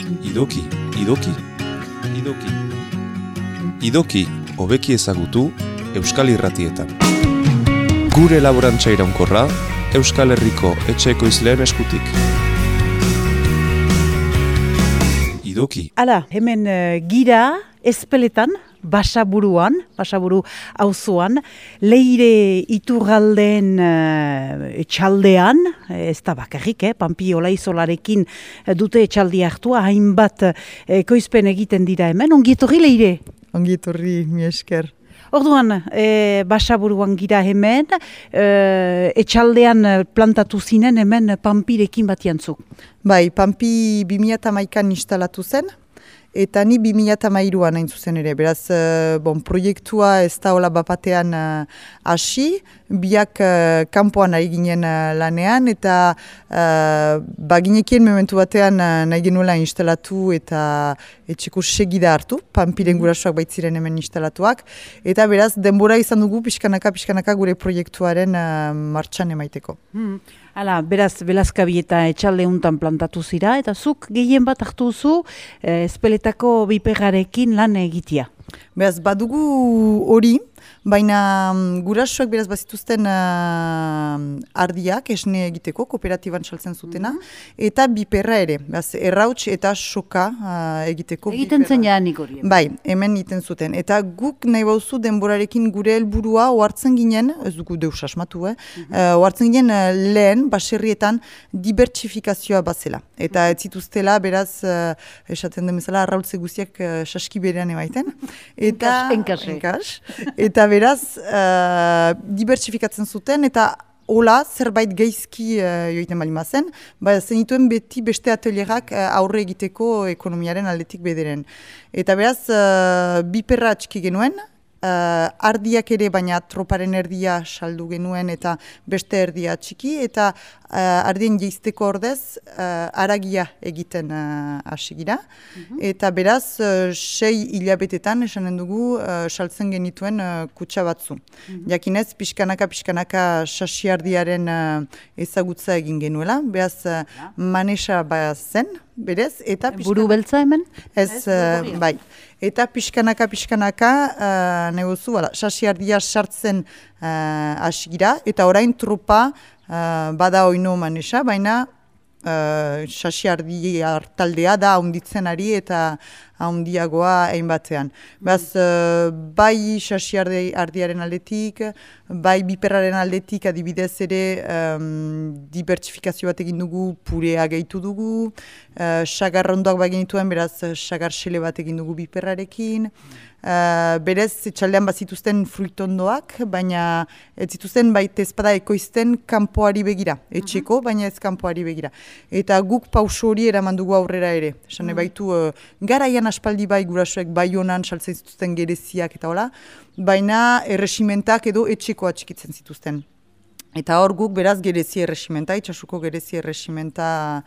Idoki, idoki, idoki. Idoki, hobeki ezagutu, Euskal Irratietan. Gure laborantza iraunkorra, Euskal Herriko etxe ekoizleen eskutik. Idoki. Hala, hemen gira Ezpeletan, Basaburu auzoan, Leire Iturraldeen etxaldean, ez da bakarrik, Pampi Olaizolarekin dute etxaldia hartua, hainbat ekoizpen egiten dira hemen. Ongi etorri, Leire? Ongi etorri, mi esker. Orduan, Basaburuan gira hemen, etxaldean plantatu zinen hemen Pampirekin batiantzuk. Bai, Pampi 2011an instalatu zen, eta ni 2013an hain zuzen ere. Beraz, proiektua ez da hola bapatean hasi, biak kanpoan ari ginen lanean, eta baginekien momentu batean nahi genuela instalatu eta etxeko segida hartu, Pampiren gurasoak baitziren hemen instalatuak, eta beraz, denbora izan dugu pixkanaka gure proiektuaren martxan emaiteko. Hala, beraz, Belazkabi eta etxalde untan plantatu zira, eta zuk gehien bat hartu zu Ezpeletako biperrarekin lan egitea. Beraz, badugu hori, baina gurasoak beraz bazituzten ardiak esne egiteko, kooperatiban saltzen zutena, eta biperra ere, beraz, errauts eta soka egiteko. Egiten zen jaanik hori. Bai, hemen egiten zuten. Eta guk nahi bauzu denborarekin gure helburua ohartzen ginen, ez dugu deus asmatu, ohartzen ginen lehen, baserrietan, dibertsifikazioa bazela. Eta ez zituztela, beraz, esaten den bezala, arrautze guztiak saski berean emaiten. Enkas. Eta beraz, dibertsifikatzen zuten, eta hola, zerbait geizki joiten bali mazen, zenituen beti beste atelierak aurre egiteko ekonomiaren aldetik bederen. Eta beraz, biperra atxiki genuen, ardiak ere, baina troparen erdia saldu genuen eta beste erdia txiki, eta ardien jeizteko ordez haragia egiten hasi gira. Eta beraz, 6 hilabetetan esanen dugu saltzen genituen kutsa batzu. Jakinez, pixkanaka sasiardiaren ezagutza egin genuela, beraz manesa zen, berez, eta buru beltza hemen? Ez, bai. Eta pixkanaka negozu, sasiardia sartzen hasi gira, eta orain tropa bada oino manesa, baina sasiardi hartaldea da haunditzen ari eta haundiagoa egin batean. Beraz, bai sasiardiaren aldetik, bai biperraren aldetik adibidez ere dibertsifikazio bat egin dugu, purea gehitu dugu, sagarrondoak bai genituen, beraz sagarsele bat egin dugu biperrarekin, berez etxaldean bazituzten fruitondoak, baina ez zituzten baita ezpada ekoizten kanpoari begira, etxeko, baina ez kanpoari begira. Eta guk pauso hori eraman dugu aurrera ere. Esan baitu, garaian aspaldi bai gurasoek bai honan saltzen zituzten gereziak eta hola, baina erresimentak edo etxeko atxikitzen zituzten. Eta hor guk beraz gerezi erresimenta, itxasuko gerezi erresimenta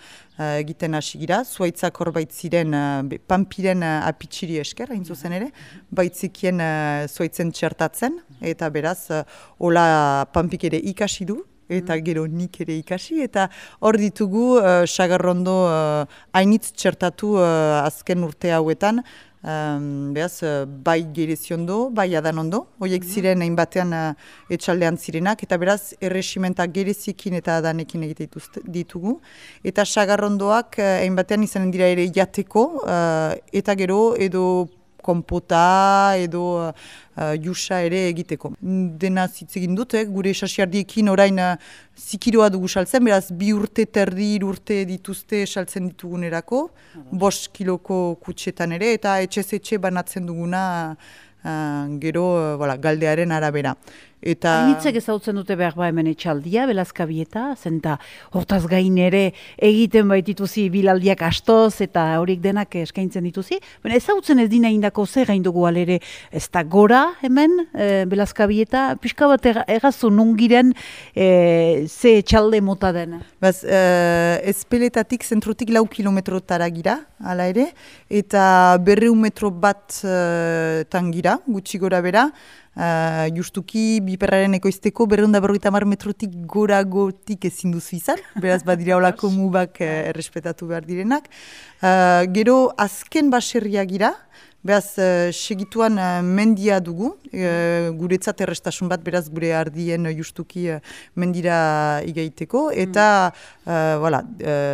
egiten hasi gira. Zuaitzak hor baitziren Pampiren apitsiri esker, hain zuzen ere, baitzikien zuaitzen txertatzen, eta beraz hola Pampik ere ikasi du, eta gero nik ere ikasi, eta hor ditugu sagarrondo hainitz txertatu azken urte hauetan, beraz, bai gereziondo, bai adanondo, horiek ziren hainbatean etxaldean zirenak, eta beraz erresimenta gerezikin eta adanekin egite ditugu, eta sagarrondoak hainbatean izanen dira ere jateko, eta gero edo konpota edo jusa ere egiteko. Dena zitzegin dut, gure sasiardiekin orain zikiroa dugu saltzen, beraz 2 urte terdi, 3 urte dituzte saltzen ditugunerako, 5 kiloko kutsetan ere, eta etxe banatzen duguna gero galdearen arabera. Hainitzek ezautzen dute behar hemen etxaldia, Belazkabieta, zenta hortaz gain ere egiten baitituzi bilaldiak astoz eta horiek denak eskaintzen dituzi. Baina ezautzen ez dina indako zer gain dugu alere, ez da gora hemen Belazkabieta, pixka bat errazu nungiren ze etxalde mota den. Ezpeletatik zentrutik 4 kilometrotara gira, hala ere, eta 200 metro bat tangira, gutxi gora bera, Justuki biperraren ekoizteko 250 metrotik goragotik ezin duzu izan, beraz badira olako mubak errespetatu behar direnak. Gero azken baserriak gira, beraz segituan mendia dugu, guretzat errestasun bat, beraz gure ardien justuki mendira igaiteko, eta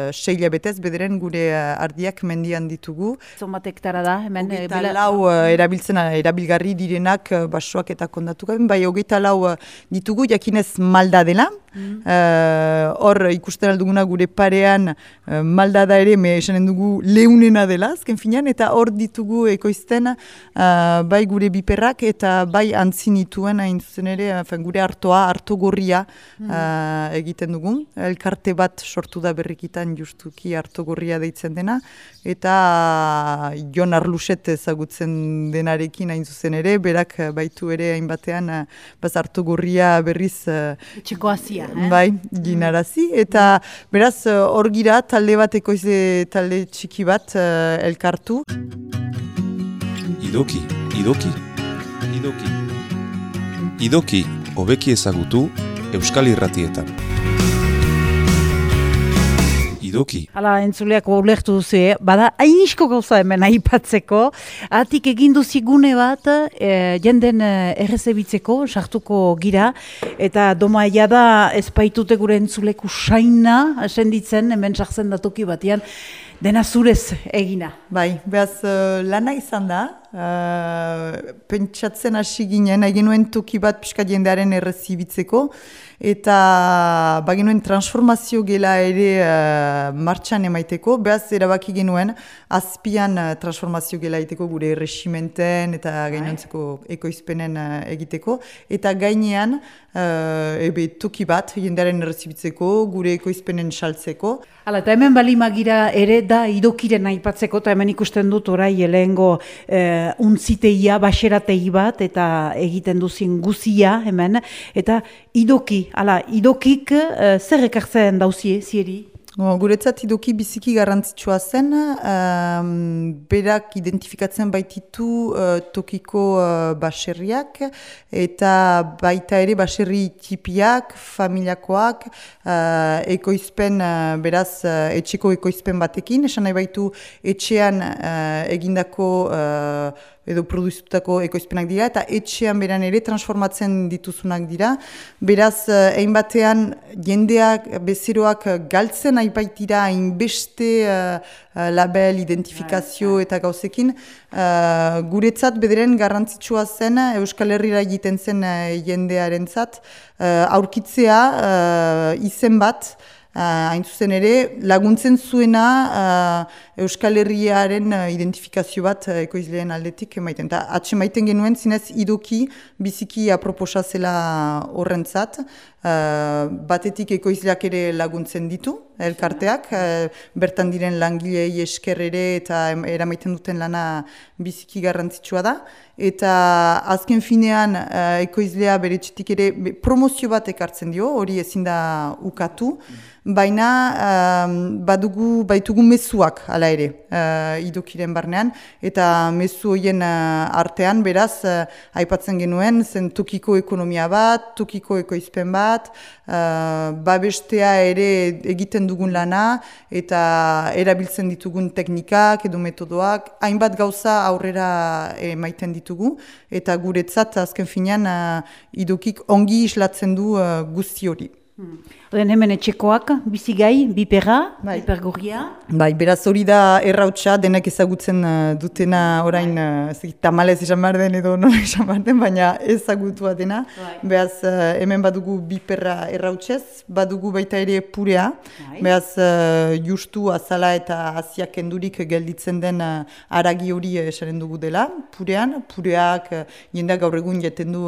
seila betez bederen gure ardiak mendian ditugu. Zonbat hektara da, hemen? Hogeita lau erabilgarri direnak basoak eta kondatu gaben, bai hogeita lau ditugu, jakinez malda dela. Hor ikusten alduguna gure parean malda da ere, esanen dugu leunena dela, azken finean, eta hor ditugu ekoizten bai gure biperrak eta bai antzinituen hain zuzen ere, gure harto gorria egiten dugu. Elkarte bat sortu da berrikitan justuki harto gorria deitzen dena, eta Jon Arluset ezagutzen denarekin hain zuzen ere, berak baitu ere hainbatean harto gorria berriz Etxeko hasia. Bai, ginarazi, eta beraz hor gira talde bat ekoize talde txiki bat elkartu. Idoki, idoki, idoki. Idoki, hobeki ezagutu Euskal Irratietan. Idoki. Hala, entzuleak ulertu duzu, bada hainisko gauza hemen aipatzeko, atik egin duzigune bat, jenden errezebitzeko, sartuko gira, eta domaia da ezpaitute gure entzuleku saina, senditzen, hemen sartzen datoki batean, dena zurez egina. Bai, behaz lana izan da, pentsatzen hasi ginen, genuen toki bat pixka jendearen errezibitzeko, eta bagenuen transformazio gela ere martxan emaiteko, behaz erabaki genuen azpian transformazio gela egiteko gure erresimenten eta gainontzeko ekoizpenen egiteko, eta gainean toki bat jendearen errezibitzeko, gure ekoizpenen saltzeko. Hala, eta hemen balimagira ere da idokiren aipatzeko, eta hemen ikusten dut orai lehengo untziteia, baserategi bat, eta egiten duzin guzia hemen, eta idoki, hala, idokik zer ekartzen dauzie, zieri? Guretzat idoki biziki garrantzitsua zen, berak identifikatzen baititu tokiko baserriak, eta baita ere baserri tipiak, familiakoak, ekoizpen, beraz etxeko ekoizpen batekin, esan nahi baitu etxean egindako edo produzitutako ekoizpenak dira, eta etxean beran ere transformatzen dituzunak dira. Beraz, hainbatean jendeak, bezeroak galtzen aipaitira hainbeste label, identifikazio eta gauzekin. Guretzat bederen garrantzitsua zen, Euskal Herrira egiten zen jendearentzat, aurkitzea izen bat, hain zuzen ere, laguntzen zuena Euskal Herriaren identifikazio bat ekoizleen aldetik emaiten. Eta atxe maiten genuen zinez idoki biziki aproposa zela horrentzat, batetik ekoizleak ere laguntzen ditu, elkarteak, bertan diren langilei esker ere eta eramaiten duten lana biziki garrantzitsua da. Eta azken finean ekoizlea bere txetik ere promozio bat ekartzen dio, hori ezin da ukatu, baina baitugu mezuak hala ere idokiren barnean, eta mezu horien artean beraz aipatzen genuen zen tokiko ekonomia bat, tokiko ekoizpen bat, babestea ere egiten dugun lana eta erabiltzen ditugun teknikak edo metodoak, hainbat gauza aurrera emaiten ditugu, eta guretzat azken finean idokik ongi islatzen du guzti hori. Oden hemen etxekoak, bizigai, biperra, bipergorria. Bai, beraz hori da errautsa, denak ezagutzen dutena orain, tamalez esan behar den edo nola esan behar den, baina ezagutua dena. Beraz hemen badugu biperra errautsez, badugu baita ere purea. Beraz justu azala eta aziak endurik gelditzen den aragi hori esaren dugu dela. Pureak jendeak gaur egun jaten du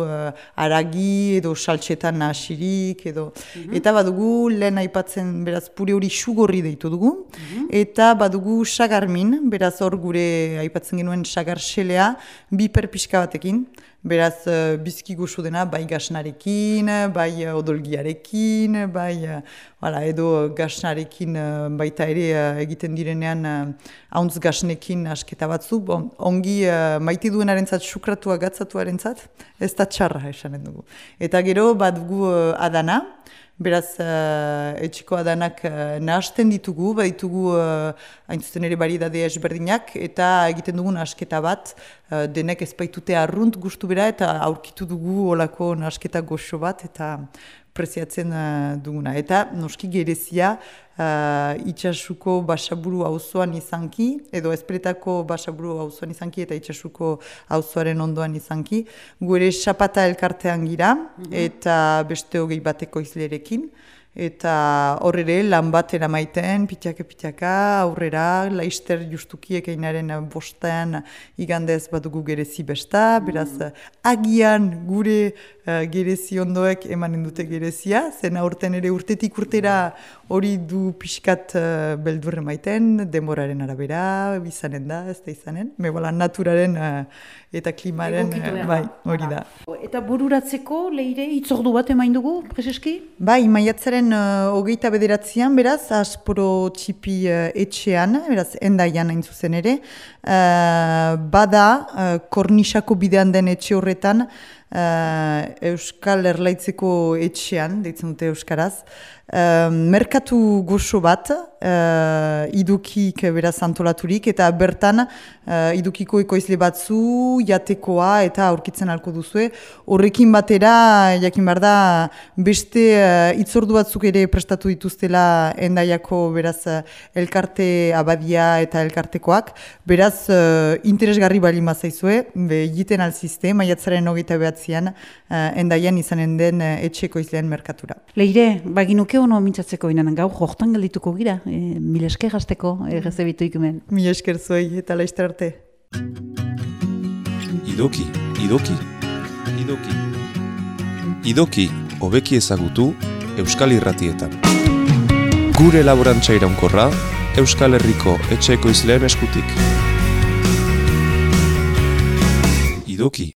aragi edo saltsetan asirik edo. Eta badugu badugu lehen aipatzen, beraz, pure hori sugorri deitu dugu, eta badugu sagarmin, beraz hor gure aipatzen genuen sagar xelea, biper pixka batekin, beraz bizki goxo dena, bai gasnarekin, bai odolgiarekin, bai edo gasnarekin baita ere egiten direnean hauntz gasnekin asketa batzu, ongi maite duenarentzat sukratua gatzatuarentzat, ez da txarra esanen dugu. Eta gero badugu adana, beraz, etxeko adanak nahasten ditugu, baditugu hain zuzen ere variedade ezberdinak, eta egiten dugun nahasketa bat, denek ez baitute arrunt gustu bera, eta aurkitu dugu olako nahasketa goxo bat, eta preziatzen duguna. Eta noski gerezia itxasuko basaburu auzoan izanki, edo Ezpeletako basaburu auzoan izanki, eta itxasuko auzoaren ondoan izanki. Gure xapata elkartean gira, eta beste hogei bateko izlerekin. Eta horre lan bat eramaiten, pitaka, aurrera, laister justukiek einaren bostean igandez badugu gerezi besta, beraz agian gure gerezi ondoek emanen dute gerezia, zen aurten ere urtetik urtera hori du pixkat beldurre maiten, demoraren arabera, izanen da, ez da izanen, mebola naturaren eta klimaren, bai, hori da. Eta bururatzeko, Leire, itzordu bat emain dugu, Prezeski? Bai, maiatzaren 29an, beraz, Asporo txipi etxean, beraz, Endaian hain zuzen ere, bada, Kornisako bidean den etxe horretan, Euskal Erlaitzeko etxean, deitzen dute Euskaraz, merkatu goxo bat, idukik beraz antolaturik, eta bertan idukiko ekoizle batzu, jatekoa eta aurkitzen halko duzue. Horrekin batera, jakin behar da, beste itzordu batzuk ere prestatu dituztela Endaiako beraz elkarte abadia eta elkartekoak. Beraz, interesgarri bali mazaizue, egiten alzizte, maiatzaren 29an Endaian izanen den etxeko izleen merkatura. Leire, baginuke ono mintzatzeko inanen gau, jortan geldituko gira, mil esker gazteko, errezebitu ikumen. Mil esker zuei eta laizter arte. Idoki. Idoki, hobeki ezagutu Euskal Irratietan. Gure laborantza iraunkorra, Euskal Herriko etxeko izleen eskutik. Idoki.